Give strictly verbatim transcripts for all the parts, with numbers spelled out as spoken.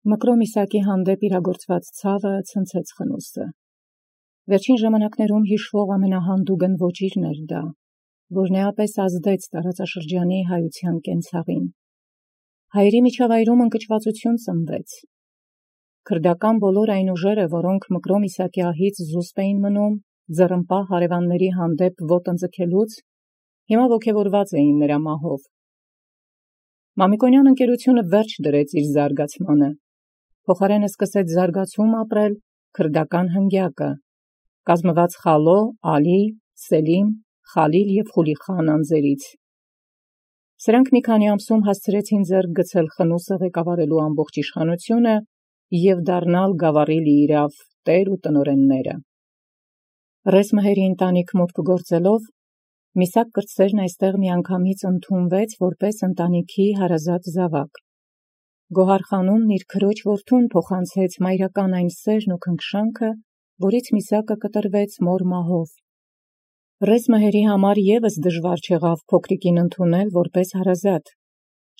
Մկրոն Իսակի հանդեպ իրագործված ցավը ցնցեց Խնուստը։ Վերջին ժամանակներում հիշվող ամենահանդուգն ոճիրն էր դա, որ նեապես ազդեց տարածաշրջանի հայության կենցաղին։ Հայերի միջավայրում ընկճվածություն ծնվեց։ Քրդական բոլոր այն ուժերը, որոնք Մկրոն Իսակի ահից զուսպ էին մնում, ձեռնպահ հարևանների հանդեպ ոտնձգելուց, հիմա ոգևորված էին նրա մահով։ Մամիկոնյան ընկերությունը վերջ դրեց իր զարգացմանը, փոխարենը սկսեց զարգացում ապրել քրդական հնգյակը, կազմված Խալո, Ալի, Սելիմ, Խալիլ և Խուլիխան անձերից։ Սրանք մի քանի ամսում հասցրեցին ձեռք գցել Խնուսը ղեկավարելու ամբողջ իշխանությունը և դառնալ գավառի լիիրավ տեր ու տնօրենները։ Ռես Մհերի ընտանիք մուտք գործելով, Միսաք կրտսերն այստեղ միանգամից ընդունվեց որպես ընտանիքի հարազատ զավակ։ Գոհար խանումն իր քրոջ որդուն փոխանցեց մայրական այն սերն ու քնքշանքը, որից Միսակը կտրվեց մոր մահով։ Ռես Մհերի համար ևս դժվար չեղավ փոքրիկին ընդունել որպես հարազատ,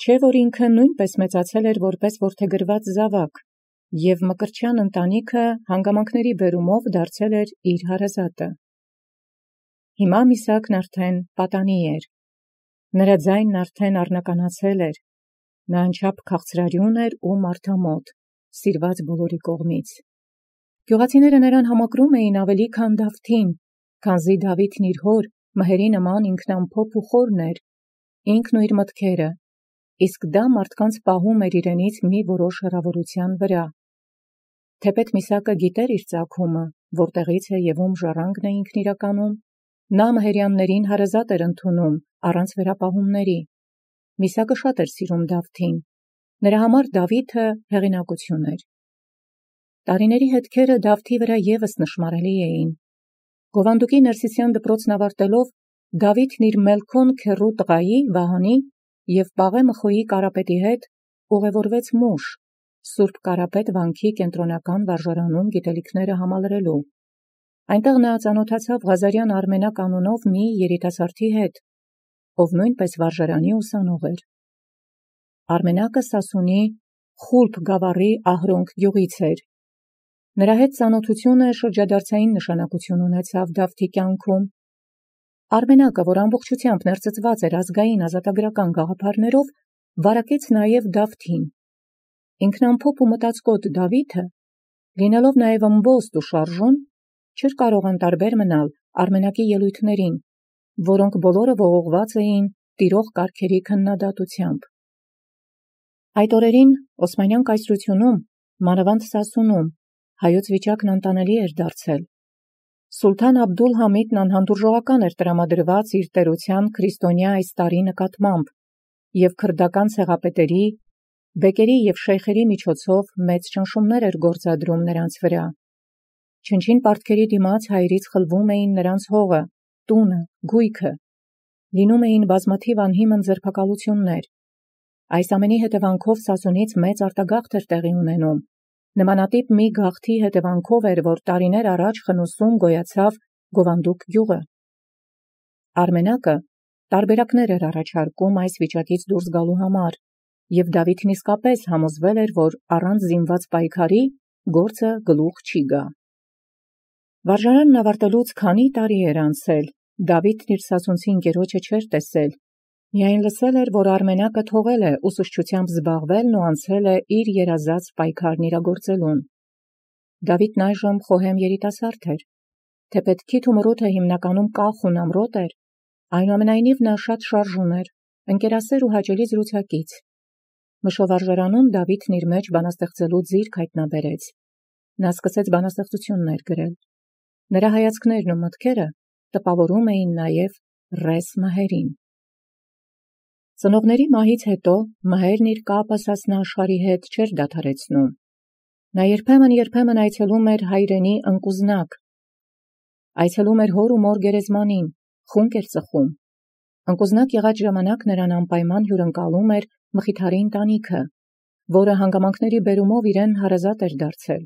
չէ որ ինքը նույնպես մեծացել էր որպես որդեգրված զավակ, և Մկրտչյան ընտանիքը հանգամանքների բերումով դարձել էր իր հարազատը։ Հիմա Միսակն արդեն պատանի էր, նրա ձայնն արդեն առնականացել էր, նա անչափ քաղցրարյուն էր ու մարդամոտ, սիրված բոլորի կողմից։ Գյուղացիները նրան համակրում էին ավելի քան Դավթին, քանզի Դավիթն իր հոր Մհերի նման ինքնամփոփ ու խորն էր, ինքն ու իր մտքերը, իսկ դա մարդկանց պահում էր իրենից մի որոշ հեռավորության վրա։ Թեպետ Միսակը գիտեր իր ծագումը, որտեղից է և ում ժառանգն է ինքն իրականում, նա մհերյաններին հարազատ էր ընդունում առանց վերապահումների։ Միսակը շատ էր սիրում Դավթին, նրա համար Դավիթը հեղինակություն էր։ Տարիների հետքերը Դավթի վրա ևս նշմարելի էին։ Գովանդուկի Ներսիսյան դպրոցն ավարտելով, Դավիթն իր մելքոն քեռու տղայի Վահանի և Պաղե Մխոյի Կարապետի հետ ուղևորվեց Մուշ, Սուրբ Կարապետ վանքի կենտրոնական վարժարանում գիտելիքները համալրելու։ Այնտեղ նա ծանոթացավ Ղազարյան Արմենակ անունով մի երիտասարդի հետ, ով նույնպես վարժարանի ուսանող էր։ Արմենակը Սասունի Խուլփ գավառի Ահրոնք գյուղից էր։ Նրա հետ ծանոթությունը շրջադարձային նշանակություն ունեցավ Դավթի կյանքում։ Արմենակը, որ ամբողջությամբ ներծծված էր ազգային ազատագրական գաղափարներով, վարակեց նաև Դավթին։ Ինքնամփոփ ու մտածկոտ Դավիթը, լինելով նաև ըմբոստ ու շարժուն, չէր կարող անտարբեր մնալ Արմենակի ելույթներին, որոնք բոլորը ողողված էին տիրող կարգերի քննադատությամբ։ Այդ օրերին Օսմանյան կայսրությունում, մանավանդ Սասունում, հայոց վիճակն անտանելի էր դարձել։ Սուլթան Աբդուլ-Համիդն անհանդուրժողական էր տրամադրված իր տերության քրիստոնյա այս տարի նկատմամբ և քրդական ցեղապետերի, բեկերի և շեյխերի միջոցով մեծ ճնշումներ էր գործադրում նրանց վրա։ Չնչին պարտքերի դիմաց հայերից խլվում էին նրանց հողը, տունը, գույքը, լինում էին բազմաթիվ անհիմն ձերբակալություններ։ Այս ամենի հետևանքով Սասունից մեծ արտագաղթ էր տեղի ունենում, նմանատիպ մի գաղթի հետևանքով էր, որ տարիներ առաջ Խնուսում գոյացավ Գովանդուկ գյուղը։ Արմենակը տարբերակներ էր առաջարկում այս վիճակից դուրս գալու համար, և Դավիթն իսկապես համոզվել էր, որ առանց զինված պայքարի գործը գլուխ չի գա։ Վարժարանն ավարտելուց քանի տարի էր անցել, Դավիթն իր սասունցի ընկերոջը չէր տեսել, միայն լսել էր, որ Արմենակը թողել է ուսուցչությամբ զբաղվելն ու անցել է իր երազած պայքարն իրագործելուն։ Դավիթն այժմ խոհեմ երիտասարդ էր, թեպետ քիթ ու մռութը հիմնականում կախ ու նամրոտ էր, այնուամենայնիվ նա շատ շարժուն էր, ընկերասեր ու հաճելի զրուցակից։ Մշովարժարանում Դավիթն իր մեջ բանաստեղծելու ձիրք հայտնաբերեց։ Նա սկսեց բանաստեղծություններ գրել։ Նրա հայացքներն ու մտքերը տպավորում էին նաև Ռես Մհերին։ Ծնողների մահից հետո Մհերն իր կապը Սասնա աշխարհի հետ չէր դադարեցնում։ Նա երբեմն-երբեմն այցելում էր հայրենի ընկուզնակ, այցելում էր հոր ու մոր գերեզմանին, խունկ էր ծխում։ Ընկուզնակ եղած ժամանակ նրան անպայման հյուրընկալում էր Մխիթարի ընտանիքը, որը հանգամանքների բերումով իրեն հարազատ էր դարձել։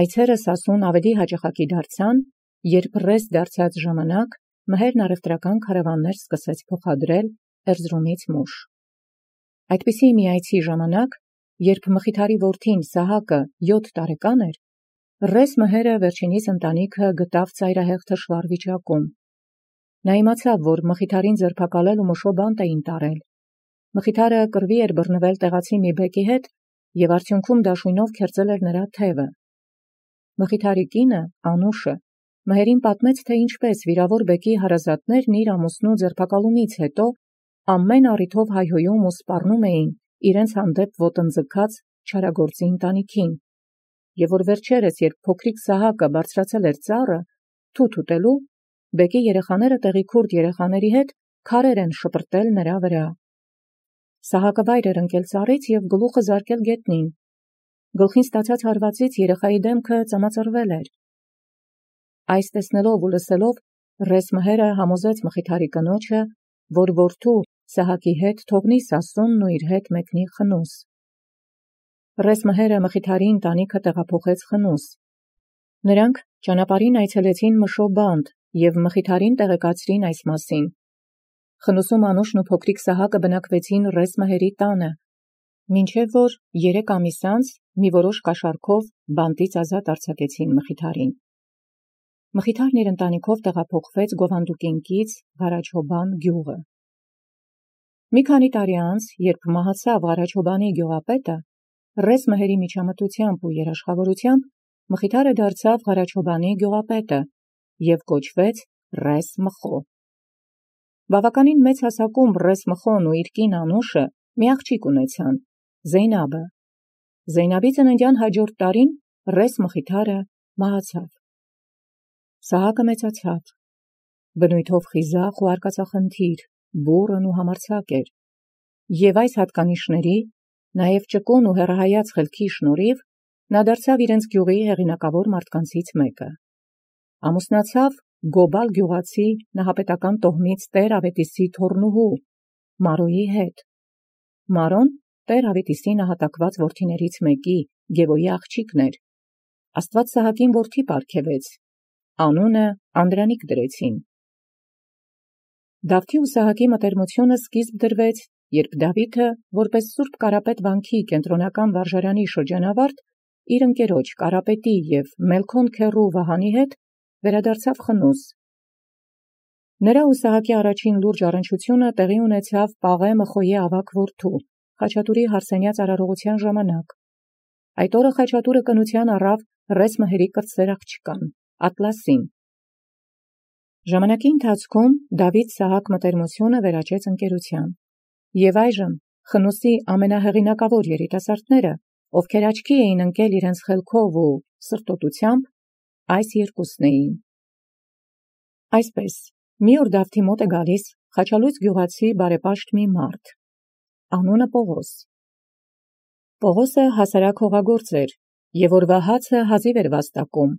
Այցերը Սասուն ավելի հաճախակի դարձան, երբ Ռես դարձած ժամանակ Մհերն առևտրական քարավաններ սկսեց փոխադրել Էրզրումից Մուշ։ Այդպիսի մի այցի ժամանակ երբ Մխիթարի որդին Սահակը յոթ տարեկան էր, Ռես մհերը վերջինիս ընտանիքը գտավ ծայրահեղ թշվառ վիճակում։ Նա իմացավ, որ Մխիթարին ձերբակալել ու մշոբանտ էին տարել։ Մխիթարը կռվի էր բռնվել տեղացի մի բեկի հետ և արդյունքում դաշույնով քերծել էր նրա թևը։ Մխիթարի կինը, Անուշը, մհերին պատմեց, թե ինչպես վիրավոր բեկի հարազատներն իր ամուսնու ձերբակալումից հետո ամեն առիթով հայհոյում ու սպառնում էին իրենց հանդեպ ոտնձգած չարագործի ընտանիքին, և որ վերջերս, երբ փոքրիկ Սահակը բարձրացել էր ծառը, թութ ուտելու, բեկի երեխաները տեղի քուրդ երեխաների հետ քարեր են շպրտել նրա վրա։ Սահակը վայր էր ընկել ծառից և գլուխը զարկել գետնին։ Գլխին ստացած հարվածից երեխայի դեմքը ծամածրվել էր։ Այս տեսնելով ու լսելով Ռես մհերը համոզեց Մխիթարի կնոջը, որ որդու Սահակի հետ թողնի Սասունն ու իր հետ մեկնի Խնուս։ Ռես մհերը Մխիթարի ընտանիքը տեղափոխեց Խնուս։ Նրանք ճանապարհին այցելեցին Մշոբանդ և Մխիթարին տեղեկացրին այս մասին։ Խնուսում Անուշն ու փոքրիկ Սահակը բնակվեցին Ռես մհերի տանը, մինչև որ երեք ամիս անց մի որոշ կաշառքով բանտից ազատ արձակեցին Մխիթարին։ Մխիթարն իր ընտանիքով տեղափոխվեց Գովանդուկինկից Ղարաչոբան գյուղը։ Մի քանի տարի անց, երբ մահացավ Ղարաչոբանի գյուղապետը, Ռես մհերի միջամտությամբ ու երաշխավորությամբ Մխիթարը դարձավ Ղարաչոբանի գյուղապետը և կոչվեց Ռես Մխո։ Բավականին մեծ հասակում Ռես Մխոն ու իր կին Անուշը մի աղջիկ ունեցան, Զեյնաբը։ Զեյնաբի ծննդյան հաջորդ տարին Ռես Մխիթարը մահացավ։ Սահակը մեծացավ, բնույթով խիզախ ու արկածախնդիր, բուռն ու համարձակ էր, և այս հատկանիշների, նաև ճկուն ու հեռահայաց խելքի շնորհիվ նա դարձավ իրենց գյուղի հեղինակավոր մարդկանցից մեկը։ Ամուսնացավ Գոբալ գյուղացի նահապետական տոհմից Տեր Ավետիսի թոռնուհու Մարոյի հետ։ Մարոն Տեր Ավետիսի նահատակված որդիներից մեկի, Գևոյի աղջիկն էր։ Աստված Սահակին որդի պարգևեց, անունը Անդրանիկ դրեցին։ Դավթի ու Սահակի մտերմությունը սկիզբ դրվեց, երբ Դավիթը, որպես Սուրբ Կարապետ վանքի կենտրոնական վարժարանի շրջանավարտ, իր ընկերոջ Կարապետի և Մելքոն քեռու Վահանի հետ վերադարձավ Խնուս։ Նրա ու Սահակի առաջին լուրջ առնչությունը տեղի ունեցավ Պաղե Մխոյի ավագ որդու, Խաչատուրի հարսենյաց արարողության ժամանակ։ Այդ օրը Խաչատուրը կնության առավ Ռես մհերի կրտսեր աղջկան, Ատլասին։ Ժամանակի ընթացքում Դավիթ-Սահակ մտերմությունը վերաճեց ընկերության, և այժմ Խնուսի ամենահեղինակավոր երիտասարդները, ովքեր աչքի էին ընկել իրենց խելքով ու սրտոտությամբ, այս երկուսն էին։ Այսպես, մի օր Դավթի մոտ է գալիս խաչալույց գյուղացի բարեպաշտ մի մարդ, անունը Պողոս։ Պողոսը հասարակ հողագործ էր, և օրվա հացը հազիվ էր վաստակում։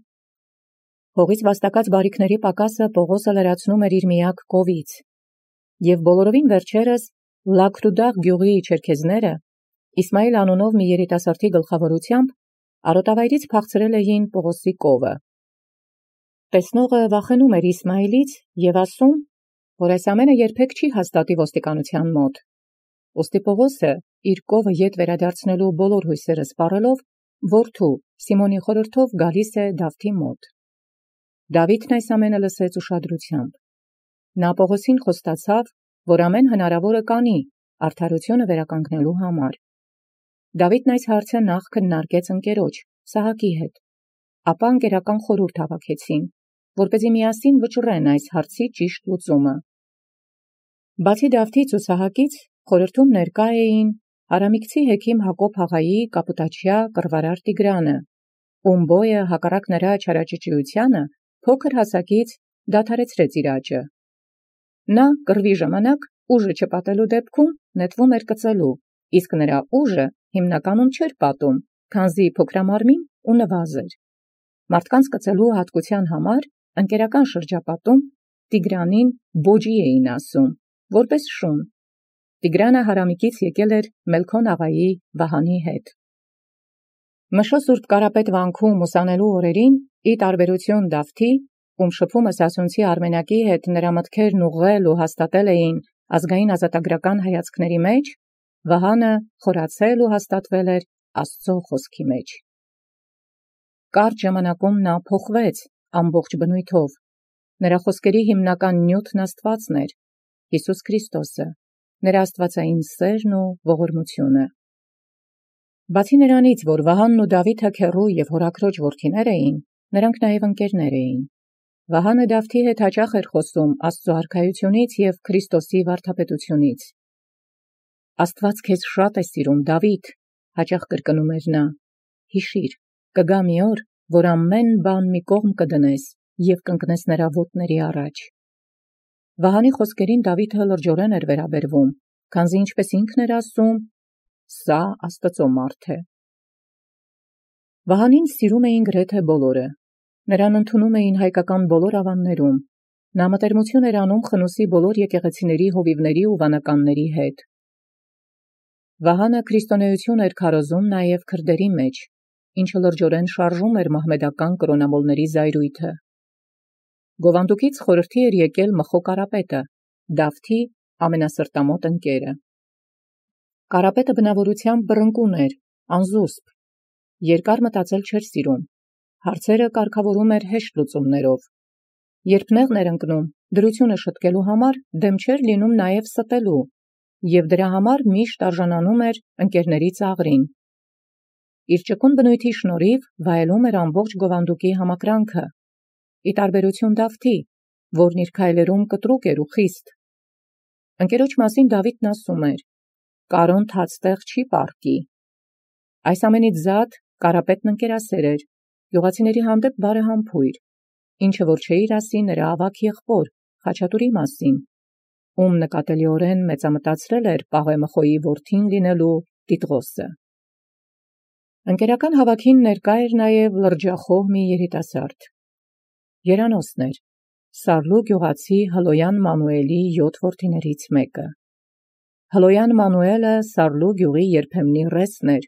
Հողից վաստակած բարիքների պակասը Պողոսը լրացնում էր իր միակ կովից, և բոլորովին վերջերս Լաքրուդաղ գյուղի չերքեզները Իսմայիլ անունով մի երիտասարդի գլխավորությամբ արոտավայրից փախցրել էին Պողոսի կովը։ Տեսնողը վախենում էր Իսմայիլից և ասում, որ այս ամենը երբեք չի հաստատի ոստիկանության մոտ։ Ուստի Պողոսը իր կովը ետ վերադարձնելու բոլոր հույսերը սպառելով, որդու Սիմոնի խորհրդով գալիս է Դավթի մոտ։ Դավիթն այս ամենը լսեց ուշադրությամբ։ Նա Պողոսին խոստացավ, որ ամեն հնարավորը կանի արդարությունը վերականգնելու համար։ Դավիթն այս հարցը նախ քննարկեց ընկերոջ Սահակի հետ, ապա ընկերական խորհուրդ հավաքեցին, որպեսզի միասին վճռեն այս հարցի ճիշտ լուծումը։ Բացի Դավթից ու Սահակից խորհրդում ներկա էին Արամիկցի հեքիմ Հակոբ Հաղայի կապուտաչյա կռվարար Տիգրանը, ում բոյը հակառակ նրա չարաճճիությանը փոքր հասակից դադարեցրեց իր աճը։ Նա կռվի ժամանակ ուժը չպատելու դեպքում նետվում էր կծելու, իսկ նրա ուժը հիմնականում չէր պատում, քանզի փոքրամարմին ու նվազ էր։ Մարդկանց կծելու հատկության համար ընկերական շրջապատում Տիգրանին բոջի էին ասում, որպես շուն։ Տիգրանը Հարամիկից եկել էր Մելքոն աղայի Վահանի հետ։ Մշո Սուրբ Կարապետ վանքում ուսանելու օրերին, ի տարբերություն Դավթի, ում շփումը Սասունցի Արմենակի հետ նրա մտքերն ուղղել ու հաստատել էին ազգային ազատագրական հայացքների մեջ, Վահանը խորացել ու հաստատվել էր Աստծո խոսքի մեջ։ Կարճ ժամանակում նա փոխվեց ամբողջ բնույթով։ Նրա խոսքերի հիմնական նյութն Աստվածն էր, Հիսուս Քրիստոսը, նրա աստվածային սերն ու ողորմությունը։ Բացի նրանից, որ Վահանն ու Դավիթը քեռու և հորաքրոջ որդիներ էին, նրանք նաև ընկերներ էին։ Վահանը Դավթի հետ հաճախ էր խոսում Աստծո արքայությունից և Քրիստոսի վարդապետությունից։ Աստված քեզ շատ է սիրում, Դավիթ, հաճախ կրկնում էր նա, հիշիր, կգա մի օր, որ ամեն բան մի կողմ կդնես և կընկնես նրա ոտների առաջ։ Վահանի խոսքերին Դավիթը լրջորեն էր վերաբերվում, քանզի ինչպես ինքն էր ասում, սա Աստծո մարդ է։ Վահանին սիրում էին գրեթե բոլորը։ Նրան ընդունում էին հայկական բոլոր ավաններում։ Նա մտերմություն էր անում Խնուսի բոլոր եկեղեցիների հովիվների ու վանականների հետ։ Վահանը քրիստոնեություն էր քարոզում նաև քրդերի մեջ, ինչը լրջորեն շարժում էր մահմեդական կրոնամոլների զայրույթը։ Գովանդուկից խորհրդի էր եկել Մխո Կարապետը, Դավթի ամենասրտամոտ ընկերը։ Կարապետը բնավորությամբ բռնկուն էր, անզուսպ, երկար մտածել չէր սիրում, հարցերը կարգավորում էր հեշտ լուծումներով։ Երբ նեղն էր ընկնում, դրությունը շտկելու համար դեմ չէր լինում նաև ստելու, և դրա համար միշտ արժանանում էր ընկերների ծաղրին։ Իր ճկուն բնույթի շնորհիվ վայելում էր ամբողջ Գովանդուկի համակրանքը, ի տարբերություն Դավթի, որն իր քայլերում կտրուկ էր ու խիստ։ Ընկերոջ մասին Դավիթն ասում էր. «Կարոն թացտեղ չի պառկի»։ Այս ամենից զատ Կարապետն ընկերասեր էր, գյուղացիների հանդեպ բարեհամբույր, ինչը որ չէիր ասի նրա ավագ եղբոր Խաչատուրի մասին, ում նկատելիորեն մեծամտածրել էր Պաղեը Մխոյի որդին լինելու Տիտղոսը։ Ընկերական հավաքին ներկա էր նաև լրջախոհ մի երիտասարդ։ Երանոսն էր, Սարլու գյուղացի Հլոյան Մանուելի յոթ որդիներից մեկը։ Հլոյան Մանուելը Սարլու գյուղի երբեմնի ռեսն էր,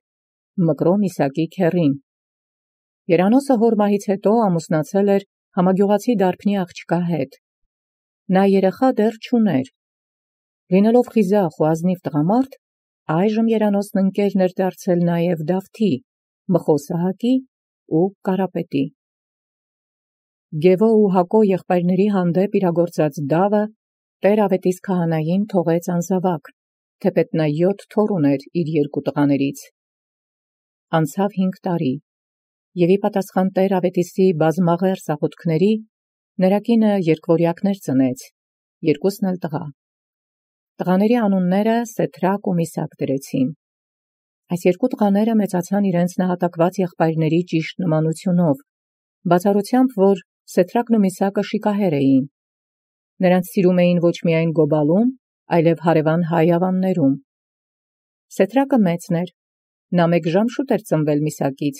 Մկրոն Իսակի քեռին։ Երանոսը հոր մահից հետո ամուսնացել էր համագյուղացի դարբնի աղջկա հետ։ Նա երեխա դեռ չուներ։ Լինելով խիզախ ու ազնիվ տղամարդ, այժմ Երանոսն ընկերն էր դարձել նաև Դավթի, Մխո Սահակի ու Կարապետի։ Գևո ու Հակո եղբայրների հանդեպ իրագործած դավը Տեր Ավետիս քահանային թողեց անզավակ, թեպետ նա յոթ թոռ ուներ իր երկու տղաներից։ Անցավ հինգ տարի, և ի պատասխան Տեր Ավետիսի բազմաղեռ սաղութքների, նրա կինը երկվորյակներ ծնեց, երկուսն էլ տղա։ Տղաների անունները Սեթրակ ու Միսակ դրեցին։ Այս երկու տղաները մեծացան իրենց նահատակված եղբայրների ճիշտ նմանությունով, բացառությամբ, որ Սեթրակն ու Միսակը շիկահեր էին։ Նրանց սիրում էին ոչ միայն գոբալում, այլև հարևան հայ ավաններում։ Սեթրակը մեծն էր, նա մեկ ժամ շուտ էր ծնվել Միսակից։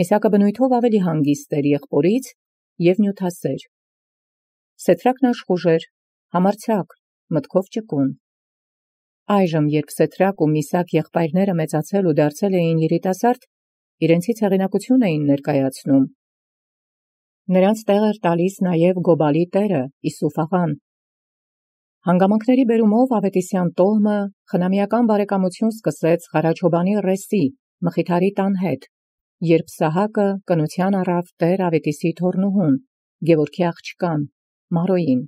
Միսակը բնույթով ավելի հանգիստ էր եղբորից և նյութասեր։ Սեթրակն աշխուժ էր, համարձակ, մտքով ճկուն։ Այժմ, երբ Սեթրակ ու Միսակ եղբայրները մեծացել ու դարձել էին երիտասարդ, իրենցից հեղինակություն էին ներկայացնում։ Նրանց տեղ էր տալիս նաև Գոբալի տերը Իսուֆ աղան։ Հանգամանքների բերումով Ավետիսյան տոհմը խնամիական բարեկամություն սկսեց Ղարաչոբանի ռեսի Մխիթարի տան հետ, երբ Սահակը կնության առավ Տեր Ավետիսի թոռնուհուն, Գևորգի աղջկան, Մարոյին։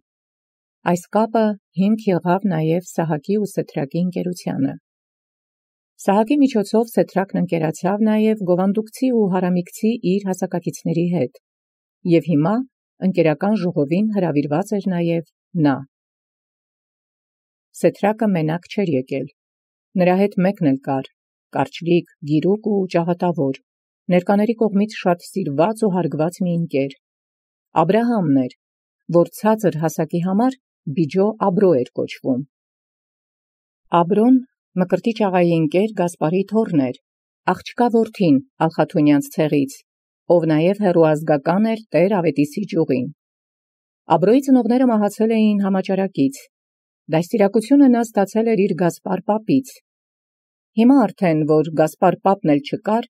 Այս կապը հիմք եղավ նաև Սահակի ու Սեթրակի ընկերությանը։ Սահակի միջոցով Սեթրակն ընկերացավ նաև գովանդուկցի ու հարամիկցի իր հասակակիցների հետ, և հիմա ընկերական ժողովին հրավիրված էր նաև նա։ Սեթրակը մենակ չէր եկել։ Նրա հետ մեկն էլ կար, կարճլիկ, գիրուկ ու ճաղատավոր, ներկաների կողմից շատ սիրված ու հարգված մի ընկեր։ Աբրահամն էր, որ ցածր հասակի համար Բիջո Աբրո էր կոչվում։ Աբրոն Մկրտիչ աղայի ընկեր Գասպարի թոռն էր, աղջկա որդին Ալխաթունյանց ցեղից, ով նաև հեռուազգական էր Տեր Ավետիսի ճյուղին։ Աբրոյի ծնողները մահացել էին համաճարակից։ Դաստիարակությունը նա ստացել էր իր Գասպար պապից։ Հիմա արդեն, որ Գասպար պապն էլ չկար,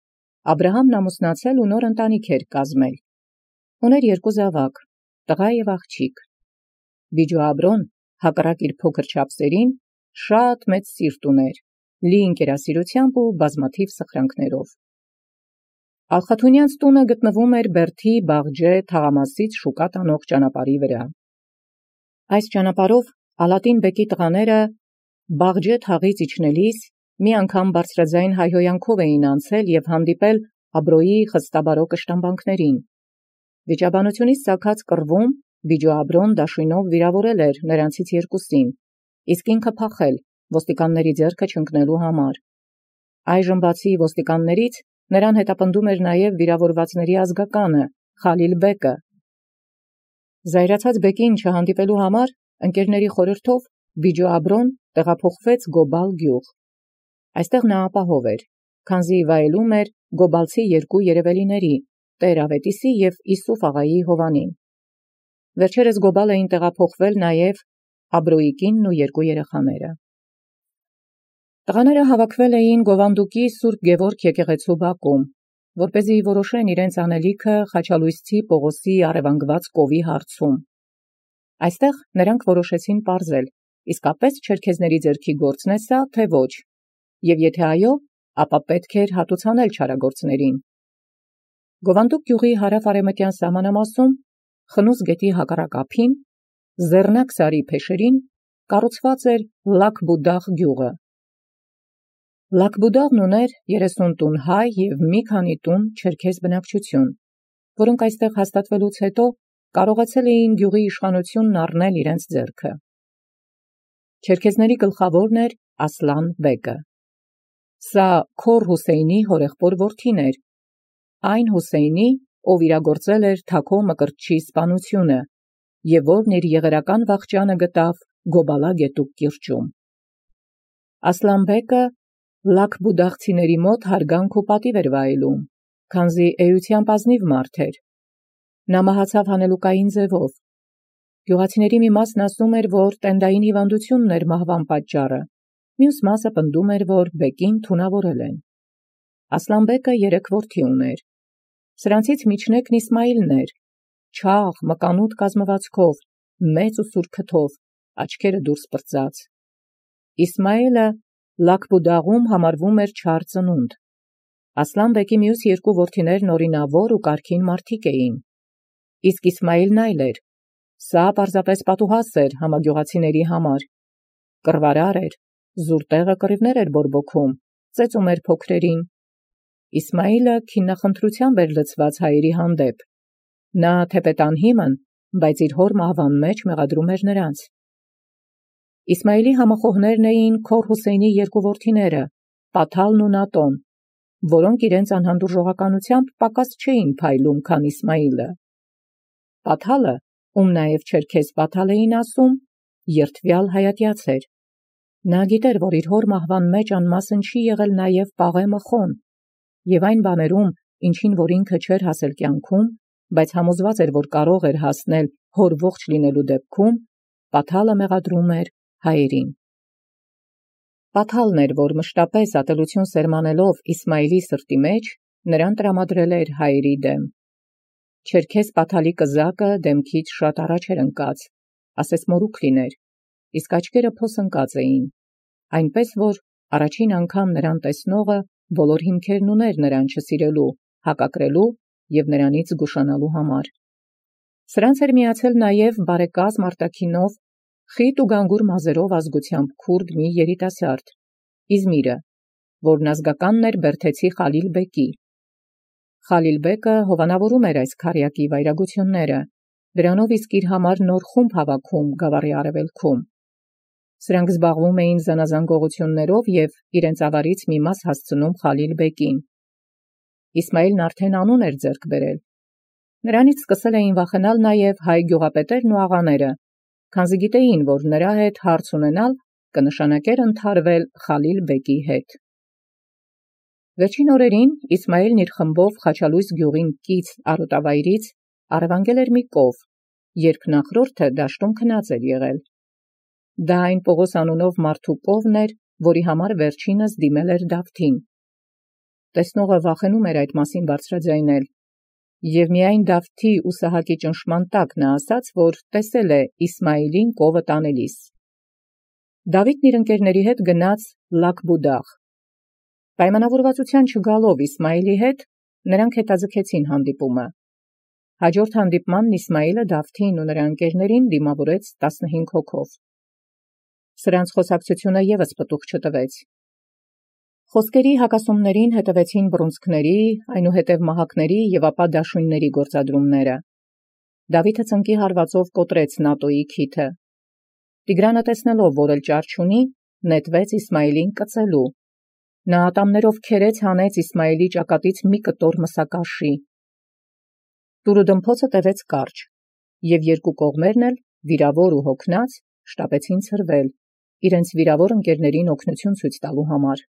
Աբրահամն ամուսնացել ու նոր ընտանիք էր կազմել։ Ուներ երկու զավակ, տղա և աղջիկ։ Բիջո Աբրոն, հակառակ իր փոքր չափսերին, շատ մեծ սիրտ ուներ լի ընկերասիրությամբ ու բազմաթիվ սխրանքներով։ Ալխաթունյանց տունը գտնվում էր Բերդի Բաղջե թաղամասից շուկա տանող ճանապարհի վրա։ Այս ճանապարհով Ալատին բեկի տղաները Բաղջե թաղից իջնելիս մի անգամ բարձրաձայն հայհոյանքով էին անցել եւ հանդիպել Աբրոյի խստաբարո կշտամբանքներին։ Վիճաբանությունից ցակած կռվում Բիջու Աբրոն դաշույնով վիրավորել էր նրանցից երկուսին, իսկ ինքը փախել ոստիկանների ձեռքը չընկնելու համար։ Այժմ բացի ոստիկաններից նրան հետապնդում էր նաև վիրավորվածների ազգականը Խալիլ բեկը։ Զայրացած բեկին չհանդիպելու համար ընկերների խորհրդով Բիջու Աբրոն տեղափոխվեց Գոբալ գյուղ։ Այստեղ նա ապահով էր, քանզի վայելում էր գոբալցի երկու երևելիների՝ Տեր Ավետիսի և Իսուֆ աղայի Հովանին։ Վերջերս Գոբալ էին տեղափոխվել նաև Աբրոյի կինն ու երկու երեխաները։ Տղաները հավաքվել էին Գովանդուկի Սուրբ Գևորգ եկեղեցու բակում, որպեսզի որոշեն իրենց անելիքը Խաչալույսցի Պողոսի առևանգված կովի հարցում։ Այստեղ նրանք որոշեցին պարզել, իսկապես չերքեզների ձեռքի գործն է սա, թե ոչ, և եթե այո, ապա պետք էր հատուցանել չարագործներին։ Գովանդուկ գյուղի հարավ-արևմտյան սահմանամասում, Խնուս գետի հակառակ ափին, Զեռնակ սարի փեշերին կառուցված էր Լաքբուդաղ գյուղը։ Լաքբուդաղն ուներ երեսուն տուն հայ և մի քանի տուն չերքեզ բնակչություն, որոնք այստեղ հաստատվելուց հետո կարողացել էին գյուղի իշխանությունն առնել իրենց ձեռքը։ Չերքեզների գլխավորն էր Ասլան բեկը։ Սա Քոր Հուսեյնի հորեղբոր որդին էր, այն Հուսեյնի, ով իրագործել էր Թաքո Մկրտչի սպանությունը և որն իր եղերական վախճանը գտավ Գոբալա գետուկ կիրճում։ Ասլան բեկը լաքբուդաղցիների մոտ հարգանք ու պատիվ էր վայելում, քանզի էությամբ ազնիվ մարդ էր։ Նա մահացավ հանելուկային ձևով։ Գյուղացիների մի մասն ասում էր, որ տենդային հիվանդությունն էր մահվան պատճառը, մյուս մասը պնդում էր, որ բեկին թունավորել են։ Ասլան բեկը երեք որդի ուներ։ Սրանցից միջնեկն Իսմայիլն էր, չաղ, մկանուտ կազմվածքով, մեծ ու սուր քթով, աչքերը դուրս պրծած։ Իսմայիլը Լաքբուդաղում համարվում էր չար ծնունդ։ Ասլան բեկի մյուս երկու որդիներն օրինավոր ու կարգին մարդիկ էին։ Իսկ Իսմայիլն այլ էր։ Սա պարզապես պատուհաս էր համագյուղացիների համար։ Կռվարար էր, զուր տեղը կռիվներ էր բորբոքում, ծեծում էր փոքրերին։ Իսմայիլը քիննախնդրությամբ էր լցված հայերի հանդեպ։ Նա թեպետ անհիմն, բայց իր հոր մահվան մեջ մեղադրում էր նրանց։ Իսմայիլի համախոհներն էին Քոր Հուսեյնի երկու որդիները՝ Պաթալն ու Նատոն, որոնք իրենց անհանդուրժողականությամբ պակաս չէին փայլում, քան Իսմայիլը։ Պաթալը, ում նաև չերքեզ Պաթալ էին ասում, երդվյալ հայատյաց էր։ Նա գիտեր, որ իր հոր մահվան մեջ անմասն չի եղել նաև Պաղե Մխոն, և այն բաներում, ինչին որ ինքը չէր հասել կյանքում, բայց համոզված էր, որ կարող էր հասնել հոր ողջ լինելու դեպքում, Պաթալը մեղադրում էր հայերին։ Պաթալն էր, որ մշտապես ատելություն սերմանելով Իսմայիլի սրտի մեջ, նրան տրամադրել էր հայերի դեմ։ Չերքեզ Պաթալի կզակը դեմքից շատ առաջ էր ընկած, ասես մորուք լիներ, իսկ աչքերը փոս ընկած էին, այնպես որ առաջին անգամ նրան տեսնողը բոլոր հիմքերն ուներ նրան չսիրելու, հակակրելու և նրանից զգուշանալու համար։ Սրանց էր միացել նաև բարեկազմ արտաքինով խիտ ու գանգուր մազերով ազգությամբ քուրդ մի երիտասարդ, Իզմիրը, որն ազգականն էր բերդեցի Խալիլ բեկի։ Խալիլ բեկը հովանավորում էր այս քարյակի վայրագությունները, դրանով իսկ իր համար նոր խումբ հավաքում գավառի արևելքում։ Սրանք զբաղվում էին զանազան գողություններով և իրենց ավարից մի մաս հասցնում Խալիլ բեկին։ Իսմայիլն արդեն անուն էր ձեռք բերել։ Նրանից սկսել էին վախենալ նաև հայ գյուղապետերն ու աղաները, քանզի գիտեին, որ նրա հետ հարց ունենալ կնշանակեր ընդհարվել Խալիլ բեկի հետ։ Վերջին օրերին Իսմայիլն իր խմբով Խաչալույս գյուղին կից արոտավայրից առևանգել էր մի կով, երբ նախորդը դաշտում քնած էր եղել։ Դա այն Պողոս անունով մարդու կովն էր, որի համար վերջինս դիմել էր Դավթին։ Տեսնողը վախենում էր այդ մասին բարձրաձայնել, և միայն Դավթի ու Սահակի ճնշման տակ նա ասաց, որ տեսել է Իսմայիլին կովը տանելիս։ Դավիթն իր ընկերների հետ գնաց Լաքբուդաղ։ Պայմանավորվածության չգալով Իսմայիլի հետ, նրանք հետաձգեցին հանդիպումը։ Հաջորդ հանդիպմանն Իսմայիլը Դավթին ու նրա ընկերներին դիմավորեց տասնհինգ հոգով։ Սրանց խոսակցությունը ևս պտուղ չտվեց։ Խոսքերի հակասումներին հետևեցին բռունցքների, այնուհետև մահակների և ապա դաշույնների գործադրումները։ Դավիթը ծնկի հարվածով կոտրեց Նատոյի քիթը։ Տիգրանը տեսնելով, որ էլ ճար չունի, նետվեց Իսմայիլին կծելու։ Նա ատամներով քերեց հանեց Իսմայիլի ճակատից մի կտոր մսակաշի։ Տուրը դմփոցը տևեց կարճ, և երկու կողմերն էլ, վիրավոր ու հոգնած, շտապեցին ցրվել, իրենց վիրավոր ընկերներին օգնություն ցույց տալու համար։